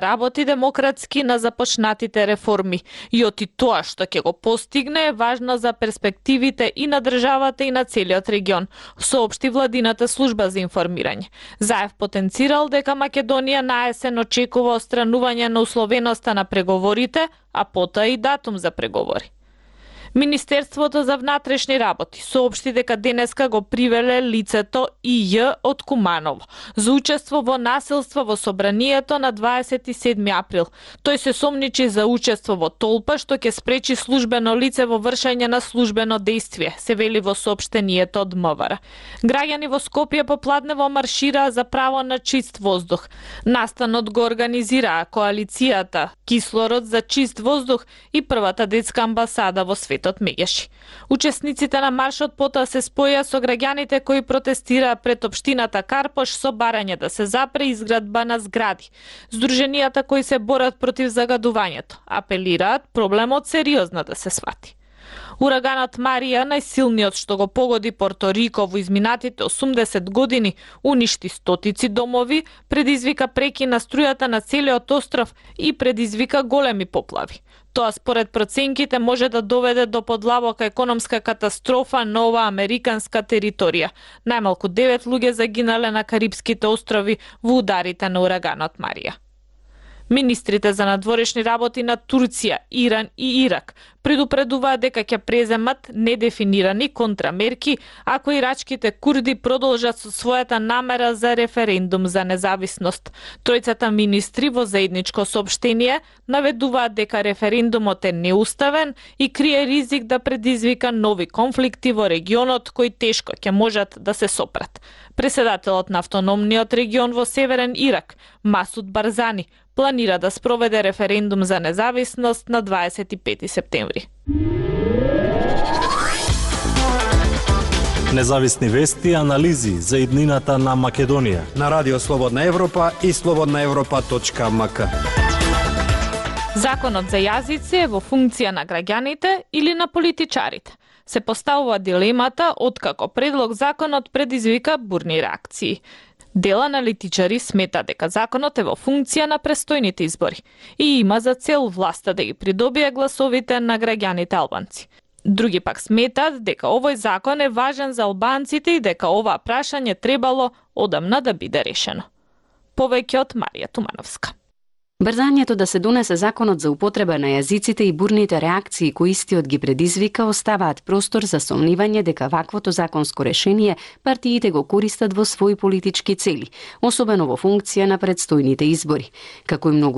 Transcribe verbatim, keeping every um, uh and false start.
работи демократски на започнатите реформи и оти тоа што ќе го постигне е важно за перспективите и на државата и на целиот регион, соопшти владината служба за информирање. Заев потенцирал дека Македонија на есен очекува отстранување на условеноста на преговорите, а потоа и датум за преговори. Министерството за внатрешни работи соопшти дека денеска го привеле лицето И Ј од Куманово за учество во насилство во собранието на дваесет и седми април. Тој се сомничи за учество во толпа што ќе спречи службено лице во вршење на службено дејствие, се вели во соопштението од М В Р. Граѓани во Скопје попладнево маршираа за право на чист воздух. Настанот го организираа коалицијата Кислород за чист воздух и првата детска амбасада во светот Мегеши. Учесниците на маршот потоа се споја со граѓаните кои протестираа пред општината Карпош со барање да се запре изградба на згради. Здруженијата кои се борат против загадувањето апелираат проблемот сериозно да се свати. Ураганот Марија, најсилниот што го погоди Порто Рико во изминатите осумдесет години, уништи стотици домови, предизвика преки на струјата на целиот остров и предизвика големи поплави. Тоа според проценките може да доведе до подлабока економска катастрофа на оваа американска територија. Најмалку девет луѓе загинале на Карипските острови во ударите на ураганот Марија. Министрите за надворешни работи на Турција, Иран и Ирак предупредуваат дека ќе преземат недефинирани контрамерки ако ирачките курди продолжат со својата намера за референдум за независност. Тројцата министри во заедничко соопштение наведуваат дека референдумот е неуставен и крие ризик да предизвика нови конфликти во регионот кои тешко ќе можат да се сопрат. Преседателот на автономниот регион во Северен Ирак, Масуд Барзани, планира да спроведе референдум за независност на дваесет и пети септември. Независни вести и анализи за иднината на Македонија на Радио Слободна Европа и слободна европа точка ем ка. Законот за јазици е во функција на граѓаните или на политичарите? Се поставува дилемата откако предлог законот предизвика бурни реакции. Дел аналитичари смета дека законот е во функција на престојните избори и има за цел власта да ги придобие гласовите на граѓаните албанци. Други пак сметат дека овој закон е важен за албанците и дека оваа прашање требало одамна да биде решено. Повеќе од Марија Тумановска. Брзањето да се донесе законот за употреба на јазиците и бурните реакции кои истиот ги предизвика оставаат простор за сомнивање дека ваквото законско решение партиите го користат во своји политички цели, особено во функција на предстојните избори. Како и многу